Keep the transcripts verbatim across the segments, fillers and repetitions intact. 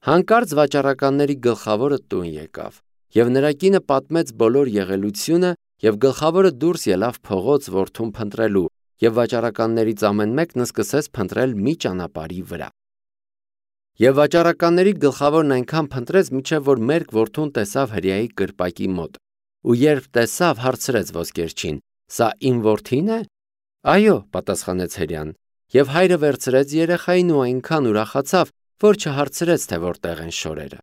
Հանկարծ վաճառականների գլխավորը տուն եկավ, եւ նրա կինը պատմեց բոլոր եղելությունը, եւ գլխավորը դուրս ելավ փողոց որդուն փնտրելու, եւ վաճառականներից ամեն մեկն սկսեց փնտրել մի ճանապարհի վրա։ Եվ վաճառականների գլխավորն այնքան փնտրեց, մինչև որ մերկ որդուն տեսավ հրեայի կրպակի մոտ, ու երբ տեսավ, հարցրեց ոսկերչին. «Սա իմ որդին է»։ «Այո», պատասխանեց հրեան, եւ հայրը վերցրեց երեխային ու այնքան ուրախացավ, որ չհարցրեց, թե որտեղ են շորերը։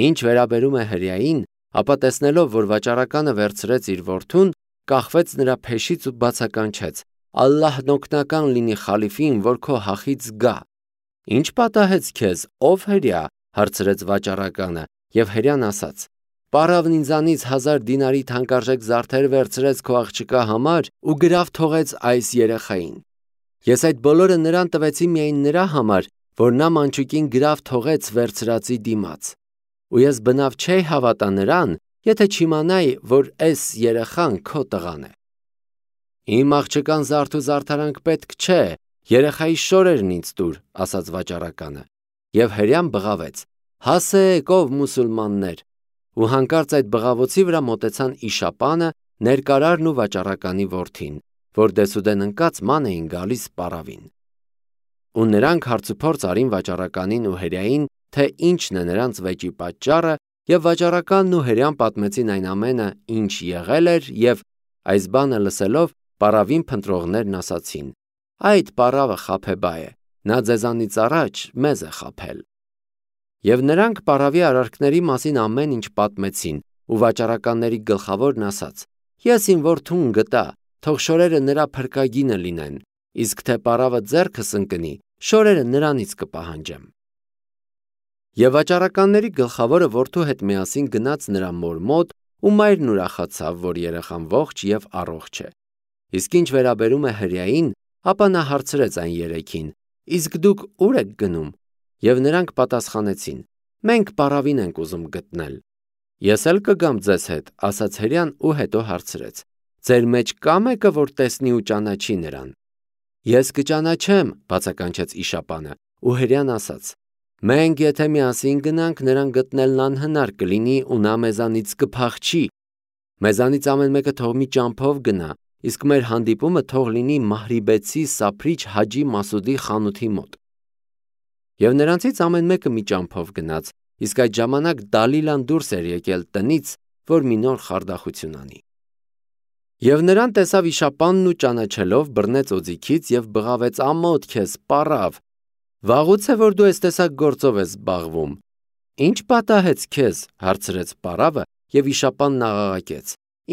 Ինչ վերաբերում է հրեային, ապա տեսնելով, որ վաճառականը վերցրեց իր որդուն, կախվեց նրա փեշից ու բացականչեց. «Ալլահն օգնական լինի խալիֆին, որ քո հախից գա»։ «Ինչ պատահեց քեզ, ով հրեա»։ հարցրեց վաճառականը, եւ հրեան ասաց. «Պարավն ինձանից հազար դինարի թանկարժեք զարդեր վերցրեց քո աղջկա համար ու գրավ թողեց այս երեխային։ Ես այդ բոլորը նրան տվեցի միայն նրա համար, որ նա մանչուկին գրավ թողեց վերցրածի դիմաց։ Ու ես բնավ չէի հավատա նրան, եթե չիմանայի, որ այս երեխան քո տղան է։ Իմ աղջկան զարդ ու զարդարանք պետք չէ, երեխայի շորերն ինձ տուր», ասաց վաճառականը։ Եվ հրեան բղավեց. «Հասեք, ով մուսուլմաններ»։ Ու հանկարծ այդ բղավոցի վրա մոտեցան իշապանը, ներկարարն ու վաճառականի որդին, որ դեսուդեն ընկած ման էին գալիս պարավին։ Ու նրանք հարցուփորձ արին վաճառականին ու հրեային, թե ինչն է նրանց վեճի պատճառը, եւ վաճառականն ու հրեան պատմեցին այն ամենը, ինչ եղել էր, եւ այս բանը լսելով պարավին փնտրողներն ասացին. «Այդ պարավը խաբեբա է, նա ձեզանից առաջ մեզ է խաբել»։ Եվ նրանք պարավի արարքների մասին ամեն ինչ պատմեցին, ու վաճառականների գլխավորն ասաց. «Ես իմ որդուն գտա, թող շորերը նրա փրկագինը լինեն, իսկ թե պարավը ձեռքս ընկնի, շորերը նրանից կպահանջեմ»։ Եվ վաճառականների գլխավորը որդու հետ միասին գնաց նրա մոր մոտ, ու մայրն ուրախացավ, որ երեխան ողջ եւ առողջ է։ Իսկ ինչ վերաբերում է հրեային, ապա նա հարցրեց այն երեքին. «Իսկ դուք ուր եք գնում»։ Եվ նրանք պատասխանեցին. «Մենք պարավին ենք ուզում գտնել»։ «Ես էլ կգամ ձեզ հետ», ասաց հրեան ու հետո հարցրեց. «Ձեր մեջ կա մեկը, որ տեսնի ու ճանաչի նրան»։ «Ես կճանաչեմ», բացականչեց իշապանը, ու հրեան ասաց. «Մենք եթե միասին գնանք, նրան գտնելն անհնար կլինի ու նա մեզանից կփախչի։ Մեզանից ամեն մեկը թող մի ճամփով գնա, իսկ մեր հանդիպումը թող լինի Մահրիբեցի սափրիչ Հաջի Մասուդի խանութի մոտ»։ Եվ նրանցից ամեն մեկը մի ճամփով գնաց, իսկ այդ ժամանակ Դալիլան դուրս էր եկել տնից, որ մի նոր խարդախություն անի։ Եվ նրան տեսավ իշապանն ու ճանաչելով բռնեց օձիքից եւ բղավեց. «Ամոթ քեզ, պարավ, վաղուց է որ դու այս տեսակ գործով ես զբաղվում»։ «Ինչ պատահեց քեզ»։ հարցրեց պարավը, եւ իշապանն աղաղակեց.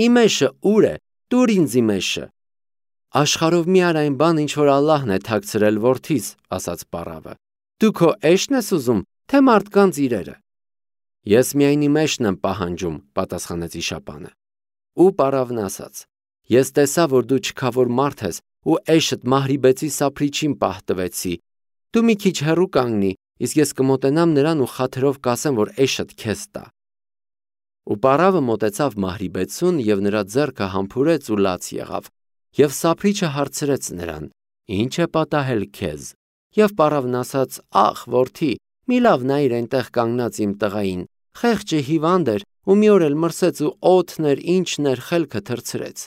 «Իմ էշը ուր է, տուր ինձ իմ էշը»։ «Աշխարհով մի արա այն բան, ինչ որ Ալլահն է թաքցրել որդիս», ասաց պարավը։ «Դու քո էշն ես ուզում, թե մարդկանց իրերը»։ «Ես միայն իմ էշն եմ պահանջում», պատասխանեց իշապանը։ Ու պարավն ասաց. «Ես տեսա, որ դու չքավոր մարդ ես ու էշդ Մահրիբեցի սափրիչին պահտվեցի։ Դու մի քիչ հեռու կանգնի, իսկ ես կմոտենամ նրան ու խաթրով կասեմ, որ էշդ քեզ տա»։ Ու պարավը մոտեցավ Մահրիբեցուն եւ նրա ձեռքը համբուրեց ու լաց եղավ, եւ սափրիչը հարցրեց նրան. «Ինչ է պատահել քեզ»։ Եվ պարավն ասաց. «Ախ, որդի, մի լավ նայիր այնտեղ կանգնած իմ տղային, խեղճը հիվանդ էր ու մի օր էլ մրսեց ու օդն էր, ինչն էր, խելքը թռցրեց։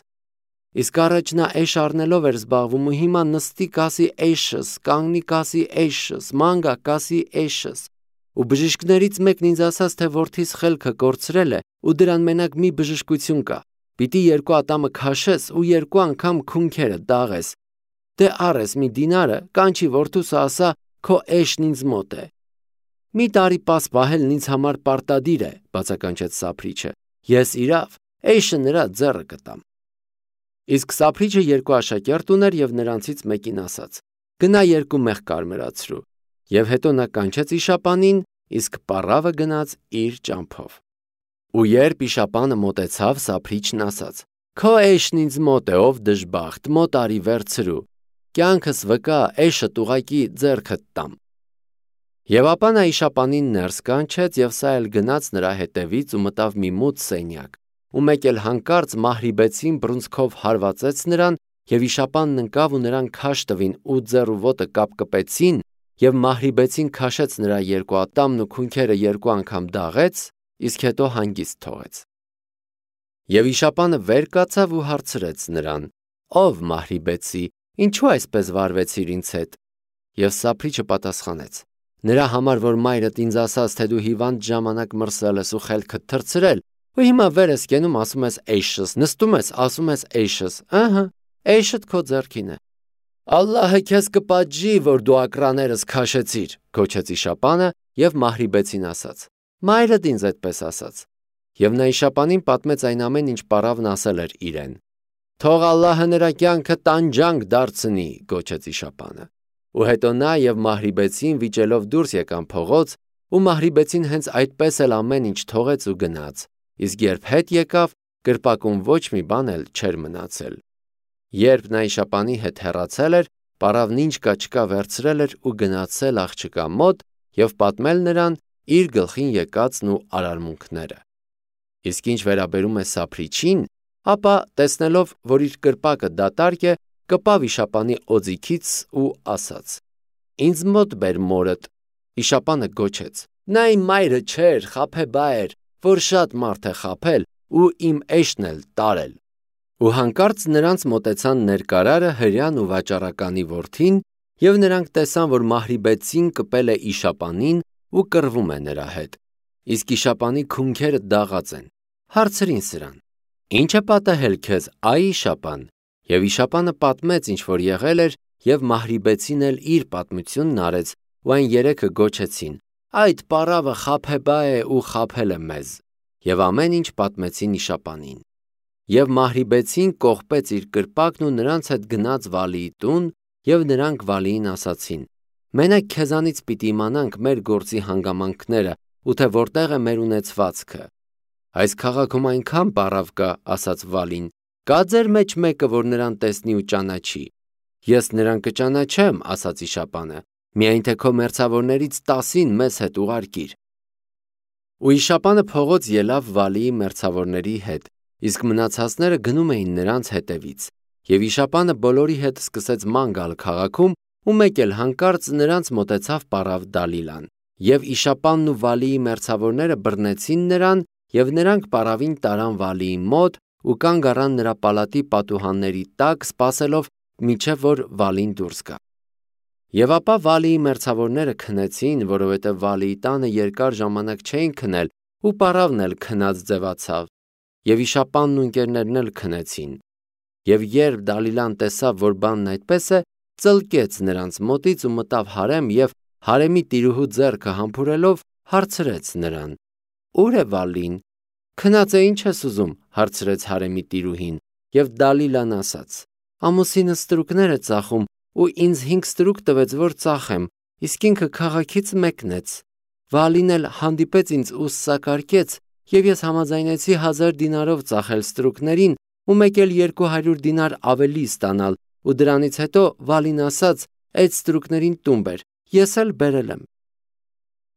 Իսկ առաջ նա էշ առնելով էր զբաղվում ու հիմա նստի կասի էշս, կանգնի կասի էշս, ման գա կասի էշս։ Ու բժիշկներից մեկն ինձ ասաց, թե որդիս խելքը կորցրել է ու դրան մենակ մի բժշկություն կա։ Պիտի երկու ատամը քաշես ու երկու անգամ քունքերը դաղես։ Դե առես մի դինարը, կանչի որդուս ասա, քո էշն ինձ մոտ է։ Մի տարի պաս պահելն ինձ համար պարտադիր է», բացականչեց սափրիչը։ «Ես իրավ էշը նրա ձեռը կտամ»։ Իսկ սափրիչը երկու աշակերտ ուներ եւ նրանցից մեկին ասաց. «Գնա երկու մեղ կարմրացրու»։ Եվ հետո նա կանչեց իշապանին, իսկ պարավը գնաց իր ճամփով։ Ու երբ իշապանը մոտեցավ, սափրիչն ասաց. «Քո էշն ինձ մոտ է, ով դժբախտ, մոտ արի վերցրու։ Կյանքս վկա, էշդ ուղակի ձեռքդ տամ»։ Եվ ապա նա իշապանին ներս կանչեց եւ սա էլ գնաց նրա հետևից ու մտավ մի մութ սենյակ, ու մեկ էլ հանկարծ Մահրիբեցին բռունցքով հարվածեց նրան, եւ իշապանն ընկավ ու նրան քաշ տվին ու ձեռ ու ոտը կապկպեցին, եւ Մահրիբեցին քաշեց նրա երկու ատամն ու քունքերը երկու անգամ դաղեց, իսկ հետո հանգիստ թողեց։ Եվ իշապանը վեր կացավ ու հարցրեց նրան. «Ով Մահրիբեցի, ինչու այսպես վարվեցիր ինձ հետ»։ Եվ Սափրիչը պատասխանեց. «Նրա համար, որ մայրդ ինձ ասաց, թե դու հիվանդ ժամանակ մրսել ես ու խելքդ թռցրել, ու հիմա վեր ես կենում, ասում ես էյշս, նստում ես, ասում ես էյշս, ըհը, էյշդ քո ձեռքին է»։ «Ալլահը քեզ կպատժի, որ դու ակռաներս քաշեցիր», գոչեց իշապանը եւ Մահրիբեցին ասաց. «Մայրդ ինձ այդպես ասաց»։ Եվ նա իշապանին պատմեց այն ամեն ինչ պարավն ասել էր իրեն։ «Թող Ալլահը նրա կյանքը տանջանք դարձնի», գոչեց իշապանը։ Ու հետո նա եւ Մահրիբեցին վիճելով դուրս եկան փողոց, ու Մահրիբեցին հենց այդպես էլ ամեն ինչ թողեց ու գնաց, իսկ երբ հետ եկավ, կրպակում ոչ մի բան էլ չէր մնացել։ Երբ նա իշապանի հետ հեռացել էր, պարավն ինչ կա չկա վերցրել էր ու գնացել աղջկա մոտ եւ պատմել նրան իր գլխին եկածն ու արարմունքները։ Իսկ ինչ վերաբերում է Սափրիչին, ապա տեսնելով, որ իր կրպակը դատարկ է, կպավ իշապանի օձիքից ու ասաց. «Ինձ մոտ բեր մորդ»։ Իշապանը գոչեց. «Նա իմ մայրը չէր, խաբեբա էր, որ շատ մարդ է խաբել ու իմ էշն էլ տարել»։ Ու հանկարծ նրանց մոտեցան ներկարարը, հրեան ու վաճառականի որդին, եւ նրանք տեսան, որ Մահրիբեցին կպել է իշապանին ու կռվում է նրա հետ, իսկ իշապանի քունքերը դաղած են։ Հարցրին սրան. «Ինչ է պատահել քեզ, այ իշապան»։ Եվ իշապանը պատմեց, ինչ որ եղել էր, եւ Մահրիբեցին էլ իր պատմությունն արեց, ու այն երեքը գոչեցին. «Այդ պարավը խաբեբա է ու խաբել է մեզ»։ Եվ ամեն ինչ պատմեցին իշապանին։ Եվ Մահրիբեցին կողպեց իր կրպակն ու նրանց հետ գնաց Վալիի տուն, եւ նրանք Վալիին ասացին. «Մենակ քեզանից պիտի իմանանք մեր գործի հանգամանքները ու թե որտեղ է մեր ունեցվածքը»։ «Այս քաղաքում այնքան պարավ կա», ասաց Վալին, «կա ձեր մեջ մեկը, որ նրան տեսնի ու ճանաչի»։ «Ես նրան կճանաչեմ», ասաց իշապանը, «միայն թե քո մերձավորներից տասին մեզ հետ ուղարկիր»։ Ու իշապանը փողոց ելավ Վալիի մերձավորների հետ, իսկ մնացածները գնում էին նրանց հետևից։ Եվ իշապանը բոլորի հետ սկսեց ման գալ քաղաքում, ու մեկ էլ հանկարծ նրանց մոտեցավ պարավ Դալիլան։ Եվ իշապանն ու Վալիի մերձավորները բռնեցին նրան, եւ նրանք պարավին տարան Վալիի մոտ ու կանգ առան նրա պալատի պատուհանների տակ, սպասելով մինչև որ Վալին դուրս գա։ Եվ ապա Վալիի մերձավորները քնեցին, որովհետև Վալիի տանը երկար ժամանակ չէին քնել, ու պարավն էլ քնած ձևացավ։ Եվ իշապանն ու ընկերներն էլ քնեցին։ Եվ երբ Դալիլան տեսավ, որ բանն այդպես է, ծլկեց նրանց մոտից ու մտավ հարեմ եւ հարեմի տիրուհու ձեռքը համբուրելով հարցրեց նրան. «Ո՞ւր է Վալին»։ «Քնած է, ինչ ես ուզում», հարցրեց հարեմի տիրուհին, եւ Դալիլան ասաց. «Ամուսինս ստրուկներ է ծախում ու ինձ հինգ ստրուկ տվեց, որ ծախեմ, իսկ ինքը քաղաքից մեկնեց։ Վալին էլ հանդիպեց ինձ ու սակարկեց, եւ ես համաձայնեցի հազար դինարով ծախել ստրուկներին ու մեկ էլ երկու հարյուր դինար ավելի ստանալ, ու դրանից հետո Վալին ասաց. այդ ստրուկներին տուն բեր, ես էլ բերել եմ»։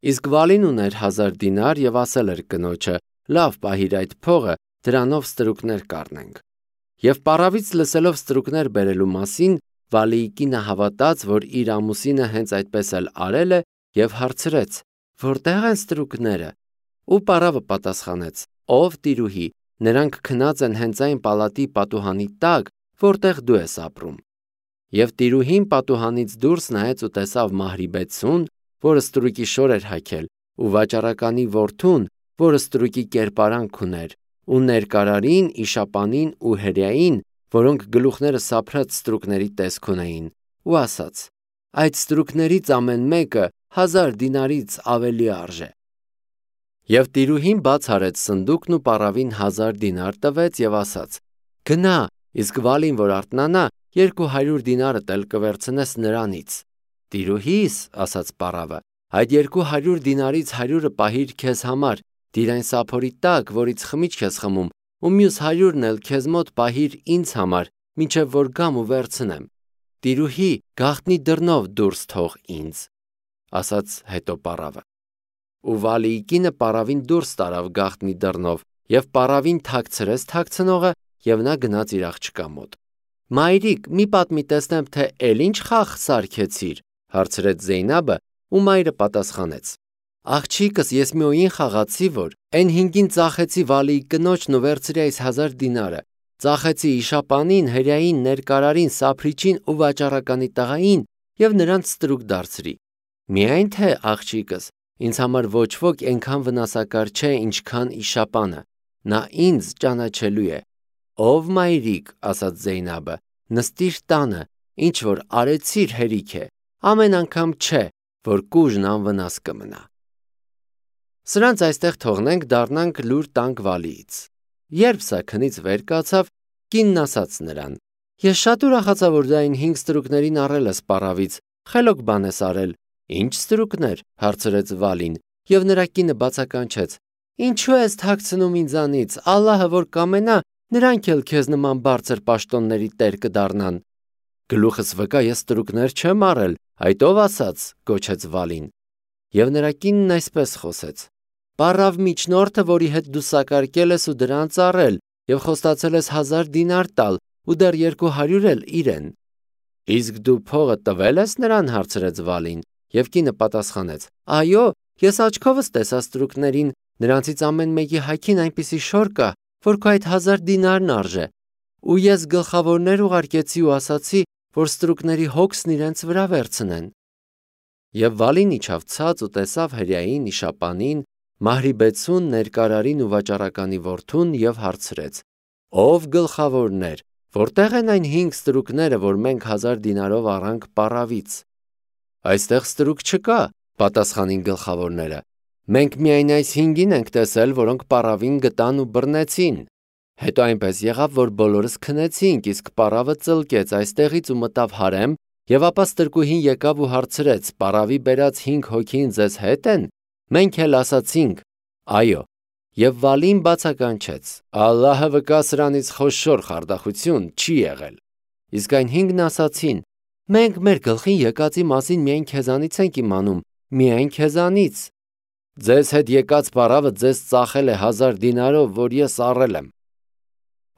Իսկ Վալին ուներ հազար դինար եւ ասել էր կնոջը. «Լավ, պահիր այդ փողը, դրանով ստրուկներ կառնենք»։ Եվ պարավից լսելով ստրուկներ բերելու մասին, Վալիի կինը հավատաց, որ իր ամուսինը հենց այդպես էլ արել է, եւ հարցրեց. «Որտեղ են ստրուկները»։ Ու պարավը պատասխանեց. «Ով տիրուհի, նրանք քնած են հենց այն պալատի պատուհանի տակ, որտեղ դու ես ապրում»։ Եվ տիրուհին պատուհանից դուրս նայեց ու տեսավ Մահրիբեցուն, որը ստրուկի շոր էր հագել, ու վաճառականի որդուն, որը ստրուկի կերպարանք ուներ, ու ներկարարին, իշապանին ու հրեային, որոնք գլուխները սափրած ստրուկների տեսք ունեին, ու ասաց. «Այդ ստրուկներից ամեն մեկը հազար դինարից ավելի արժե»։ Եվ տիրուհին բաց արեց սնդուկն ու պարավին հազար դինար տվեց եւ ասաց. «Գնա, իսկ Վալին որ արթնանա, երկու հարյուր դինարդ էլ կվերցնես նրանից»։ «Տիրուհիս», ասաց պարավը, «այդ երկու հարյուր դինարից հարյուրը պահիր քեզ համար, դիր այն սափորի տակ, որից խմիչք ես խմում, ու մյուս հարյուրն էլ քեզ մոտ պահիր ինձ համար, մինչև որ գամ ու վերցնեմ։ Տիրուհի, գաղտնի դռնով դուրս թող ինձ», ասաց հետո պարավը։ Ու Վալիի կինը պարավին դուրս տարավ գաղտնի դռնով, եւ պարավին թաքցրեց թաքցնողը, եւ նա գնաց իր աղջկա մոտ։ «Մայրիկ, մի պատմի տեսնեմ, թե էլ ինչ խաղ սարքեցիր», հարցրեց Զեյնաբը, ու մայրը պատասխանեց. Աղջիկս, ես մի օին խաղացի, որ այն հինգին ծախեցի Վալիի կնոջն ու վերցրի այս հազար դինարը, ծախեցի իշապանին, հրեային, ներկարարին, սափրիչին ու վաճառականի տղային եւ նրանց ստրուկ դարձրի։ Միայն թե աղջիկս, ինձ համար ոչ ոք այնքան վնասակար չէ, ինչքան իշապանը, նա ինձ ճանաչելու է։ Ով մայրիկ, ասաց Զեյնաբը, նստիր տանը, ինչ որ արեցիր հերիք է, ամեն անգամ չէ, որ կուժն անվնաս կմնա։ Սրանց այստեղ թողնենք, դառնանք լուր տանք Վալիից։ Երբ սա քնից վեր կացավ, կինն ասաց նրան. Ես շատ ուրախացա, որ դու այն հինգ ստրուկներին առել ես պարավից, խելոք բան ես արել։ Ինչ ստրուկներ, հարցրեց Վալին, եւ նրա կինը բացականչեց. Ինչու ես թաքցնում ինձանից, Ալլահը որ կամենա, նրանք էլ քեզ նման բարձր պաշտոնների տեր կդառնան։ Գլուխս վկա, ես ստրուկներ չեմ առել, այդ ով ասաց, գոչեց Վալին։ Եվ նրա կինն այսպես խոսեց. Պարավ միջնորդը, որի հետ դու սակարկել ես ու դրանց առել, եւ խոստացել ես հազար դինար տալ, ու դեռ երկու հարյուր էլ իրեն։ Իսկ դու փողը տվել ես նրան, հարցրեց Վալին, եւ կինը պատասխանեց. Այո, ես աչքովս տեսա ստրուկներին, նրանցից ամեն մեկի հագին այնպիսի շոր կա, որ քո այդ հազար դինարն արժե։ Ու ես գլխավորներ ուղարկեցի ու ասացի, որ ստրուկների հոգսն իրենց վրա վերցնեն։ Եվ Վալին իջավ ցած ու տեսավ հրեային, իշապանին, Մահրիբեցուն, ներկարարին ու վաճառականի որդուն եւ հարցրեց. Ով գլխավորներ, որտեղ են այն հինգ ստրուկները, որ մենք հազար դինարով առանք պարավից։ Այստեղ ստրուկ չկա, պատասխանին գլխավորները։ Մենք միայն այս հինգին ենք տեսել, որոնք պարավին գտան ու բռնեցին։ Հետո այնպես եղավ, որ բոլորս քնեցինք, իսկ պարավը ծլկեց այստեղից ու մտավ հարեմ, եւ ապա ստրկուհին եկավ ու հարցրեց. Պարավի բերած հինգ հոգին ձեզ հետ են։ Մենք էլ ասացինք. Այո։ Եվ Վալին բացականչեց. Ալլահը վկա, սրանից խոշոր խարդախություն չի եղել։ Իսկ այն հինգն ասացին. Մենք մեր գլխին եկածի մասին միայն քեզանից ենք իմանում, միայն քեզանից։ Ձեզ հետ եկած պարավը ձեզ ծախել է հազար դինարով, որ ես առել եմ,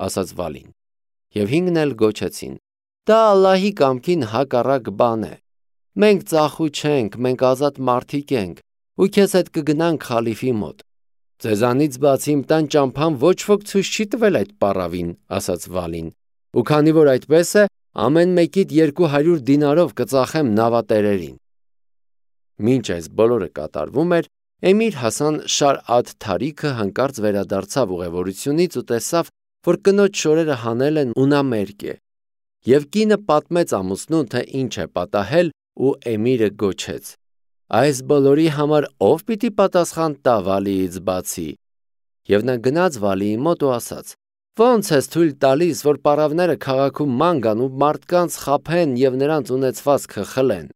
ասաց Վալին։ Եվ հինգն էլ գոչեցին. Դա Ալլահի կամքին հակառակ բան է։ Մենք ծախու չենք, մենք ազատ մարդիկ ենք, ու քեզ հետ կգնանք խալիֆի մոտ։ Ձեզանից բացի իմ տան ճամփան ոչ ոք ցույց չի տվել այդ պարավին, ասաց Վալին։ Ու քանի որ այդպես է, ամեն մեկիդ երկու հարյուր դինարով կծախեմ նավատերերին։ Մինչ այս բոլորը կատարվում էր, Էմիր Հասան Շար Ադ Թարիքը հանկարծ վերադարձավ ուղևորությունից ու տեսավ, որ կնոջ շորերը հանել են ու նա մերկ է։ Եվ կինը պատմեց ամուսնուն, թե ինչ է պատահել, ու Էմիրը գոչեց. Այս բոլորի համար ով պիտի պատասխան տա Վալիից բացի։ Եվ նա գնաց Վալիի մոտ ու ասաց. Ոնց ես թույլ տալիս, որ պարավները քաղաքում ման գան ու մարդկանց խաբեն եւ նրանց ունեցվածքը խլեն։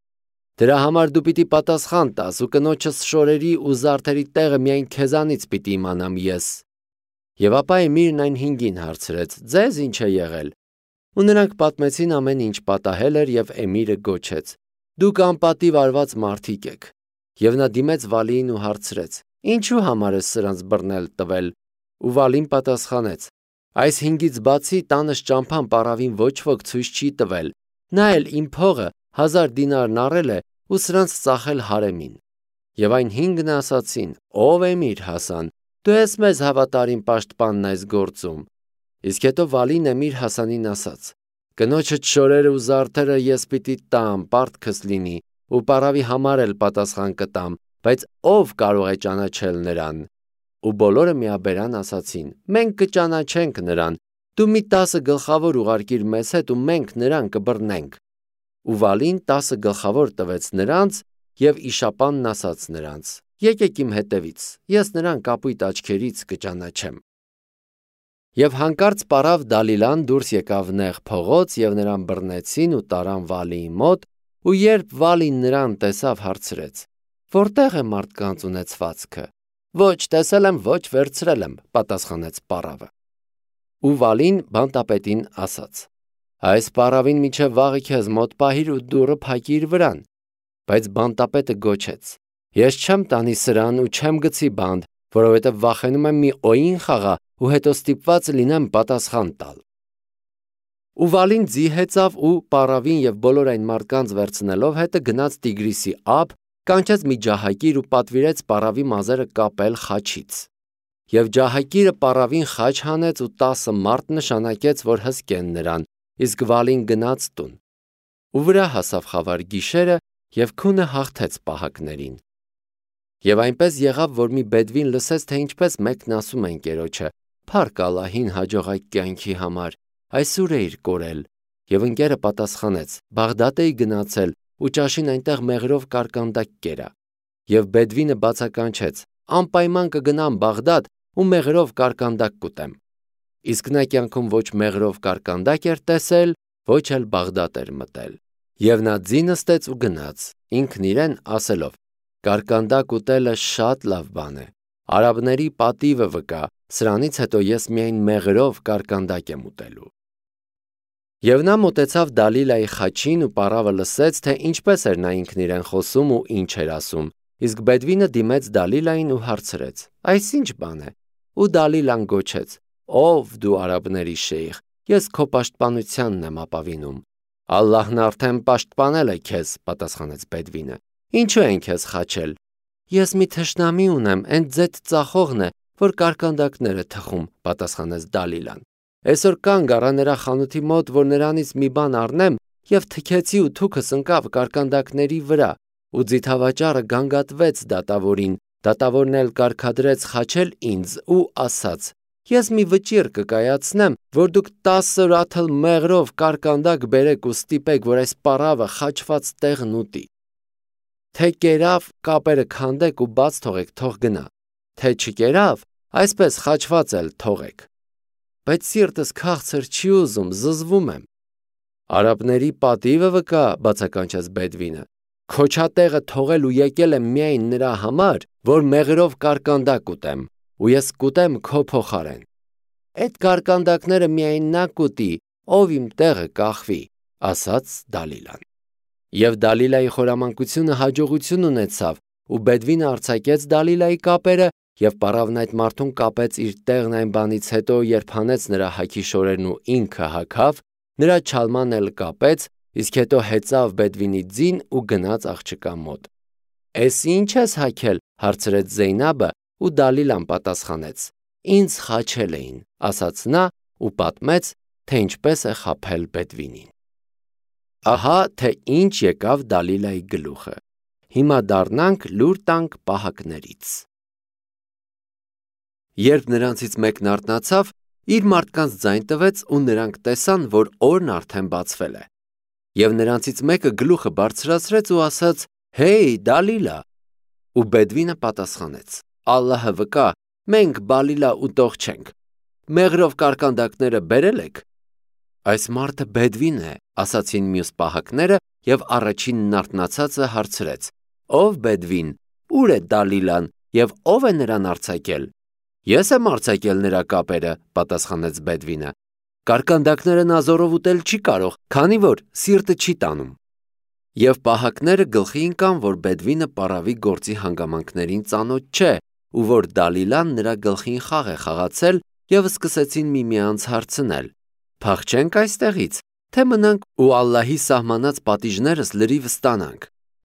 Դրա համար դու պիտի պատասխան տաս ու կնոջս շորերի ու զարդերի տեղը միայն քեզանից պիտի իմանամ ես։ Եվ ապա Էմիրն այն հինգին հարցրեց. Ձեզ ինչ է եղել։ Ու նրանք պատմեցին ամեն ինչ պատահել էր եւ Էմիրը գոչեց. Դուք անպատիվ արված մարդիկ եք։ Եվ նա դիմեց Վալիին ու հարցրեց. Ինչու համար ես սրանց բռնել տվել։ Ու Վալին պատասխանեց. Այս հինգից բացի տանս ճամփան պարավին ոչ ոք ցույց չի տվել։ Նա էլ իմ փողը հազար դինարն առել է ու սրանց ծախել հարեմին։ Եվ այն հինգն ասացին. Ով Էմիր Հասան, դու ես մեզ հավատարիմ պաշտպանն այս գործում։ Իսկ հետո Վալին Էմիր Հասանին ասաց. Կնոջդ շորերը ու զարդերը ես պիտի տամ, պարտքս լինի, ու պարավի համար էլ պատասխան կտամ, բայց ով կարող է ճանաչել նրան։ Ու բոլորը միաբերան ասացին. Մենք կճանաչենք նրան, դու մի տասը գլխավոր ուղարկիր մեզ հետ ու մենք նրան կբռնենք։ Ու Վալին տասը գլխավոր տվեց նրանց, եւ իշապանն ասաց նրանց. Եկեք իմ հետևից, ես նրան կապույտ աչքերից կճանաչեմ։ Եվ հանկարծ պարավ Դալիլան դուրս եկավ նեղ փողոց եւ նրան բռնեցին ու տարան Վալիի մոտ, ու երբ Վալին նրան տեսավ, հարցրեց. Որտեղ է մարդկանց ունեցվածքը։ Ոչ տեսել եմ, ոչ վերցրել եմ, պատասխանեց պարավը։ Ու Վալին բանտապետին ասաց. Այս պարավին միջև վաղը քեզ մոտ պահիր ու դուռը փակիր վրան։ Բայց բանտապետը գոչեց. Ես չեմ տանի սրան ու չեմ գցի բանտ, որովհետև վախենում եմ մի օին խաղա ու հետո ստիպված լինեմ պատասխան տալ։ Ու Վալին ձի հեծավ ու պարավին եւ բոլոր այն մարդկանց վերցնելով հետը գնաց Տիգրիսի ափ, կանչեց մի ջահակիր ու պատվիրեց պարավի մազերը կապել խաչից։ Եվ ջահակիրը պարավին խաչ հանեց ու տասը մարդ նշանակեց, որ հսկեն նրան, իսկ Վալին գնաց տուն։ Ու վրա հասավ խավար գիշերը եւ քունը հաղթեց պահակներին։ Եվ այնպես եղավ, որ մի բեդվին լսեց, թե ինչպես մեկն ասում է ընկերոջը. «Փառք Ալլահին հաջողակ կյանքի համար, այսուր էիր կորել»։ Եվ ընկերը պատասխանեց. «Բաղդադ էի գնացել ու ճաշին այնտեղ մեղրով կարկանդակ կերա»։ Եվ բեդվինը բացականչեց. «Անպայման կգնամ Բաղդադ ու մեղրով կարկանդակ կուտեմ»։ Իսկ նա կյանքում ոչ մեղրով կարկանդակ էր տեսել, ոչ էլ Բաղդադ էր մտել։ Եվ նա ձի նստեց ու գնաց, ինքն իրեն ասելով. «Կարկանդակ ուտելը շատ լավ բան է, արաբների պատիվը վկա, սրանից հետո ես միայն մեղրով կարկանդակ եմ ուտելու»։ Եվ նա մոտեցավ Դալիլայի խաչին ու պարավը լսեց, թե ինչպես էր նա ինքն իրեն խոսում ու ինչ էր ասում, իսկ բեդվինը դիմեց Դալիլային ու հարցրեց. «Այս ինչ բան է»։ Ու Դալիլան գոչեց. «Ով դու արաբների շեյխ, ես քո պաշտպանությանն եմ ապավինում»։ «Ալլահն արդեն պաշտպանել է քեզ», պատասխանեց բեդվինը։ «Ինչու են քեզ խաչել»։ «Ես մի թշնամի ունեմ, էն ձեթ ծախողն է, որ կարկանդակներ է թխում», պատասխանեց Դալիլան։ «Այսօր կանգ առա նրա խանութի մոտ, որ նրանից մի բան առնեմ, եւ թքեցի ու թուքս ընկավ կարկանդակների վրա, ու ձիթավաճառը գանգատվեց դատավորին, դատավորն էլ կարգադրեց խաչել ինձ ու ասաց. «Ես մի վճիռ կկայացնեմ, որ դուք տասը ռաթլ մեղրով կարկանդակ բերեք ու ստիպեք, որ այս պարավը խաչված տեղն ուտի։ Թե կերավ, կապերը քանդեք ու բաց թողեք, թող գնա, թե չկերավ, այսպես խաչված էլ թողեք»։ Բայց սիրտս քաղցր չի ուզում, զզվում եմ։ «Արաբների պատիվը վկա», բացականչեց բեդվինը, «քոչատեղը թողել ու եկել եմ միայն նրա համար, որ մեղրով կարկանդակ ուտեմ, ու ես կուտեմ քո փոխարեն։ Այդ կարկանդակները միայն նա կուտի, ով իմ տեղը կախվի», ասաց Դալիլան։ Եվ Դալիլայի խորամանկությունը հաջողություն ունեցավ, ու բեդվինը արձակեց Դալիլայի կապերը, եւ պարավն այդ մարդուն կապեց իր տեղն այն բանից հետո, երբ հանեց նրա հագի շորերն ու ինքը հագավ, նրա չալման էլ կապեց, իսկ հետո հեծավ բեդվինի ձին ու գնաց աղջկա մոտ։ «Էս ինչ ես հագել», հարցրեց Զեյնաբը, ու Դալիլան պատասխանեց. «Ինձ խաչել էին», ասաց նա ու պատմեց, թե ինչպես է խաբել բեդվինին։ Ահա թե ինչ եկավ Դալիլայի գլուխը։ Հիմա դառնանք լուր տանք պահակներից։ Երբ նրանցից մեկն արթնացավ, իր մարդկանց ձայն տվեց ու նրանք տեսան, որ օրն արդեն բացվել է։ Եվ նրանցից մեկը գլուխը բարձրացրեց ու ասաց. «Հեյ, Դալիլա»։ Ու բեդվինը պատասխանեց. «Ալլահը վկա, մենք բալիլա ուտող չենք։ Մեղրով կարկանդակները բերել եք»։ «Այս մարդը բեդվին է», ասացին մյուս պահակները, եւ առաջինն արթնացածը հարցրեց. «Ով բեդվին, ուր է Դալիլան եւ ով է նրան արձակել»։ «Ես եմ արձակել նրա կապերը», պատասխանեց բեդվինը։ «Կարկանդակները նա զորով ուտել չի կարող, քանի որ սիրտը չի տանում»։ Եվ պահակները գլխի ընկան, որ բեդվինը պարավի գործի հանգամանքներին ծանոթ չէ, ու որ Դալիլան նրա գլխին խաղ է խաղացել, եւ սկսեցին միմյանց հարցնել. «Փախչենք այստեղից, թե մնանք ու Ալլահի սահմանած պատիժներս լրիվ ստանանք»։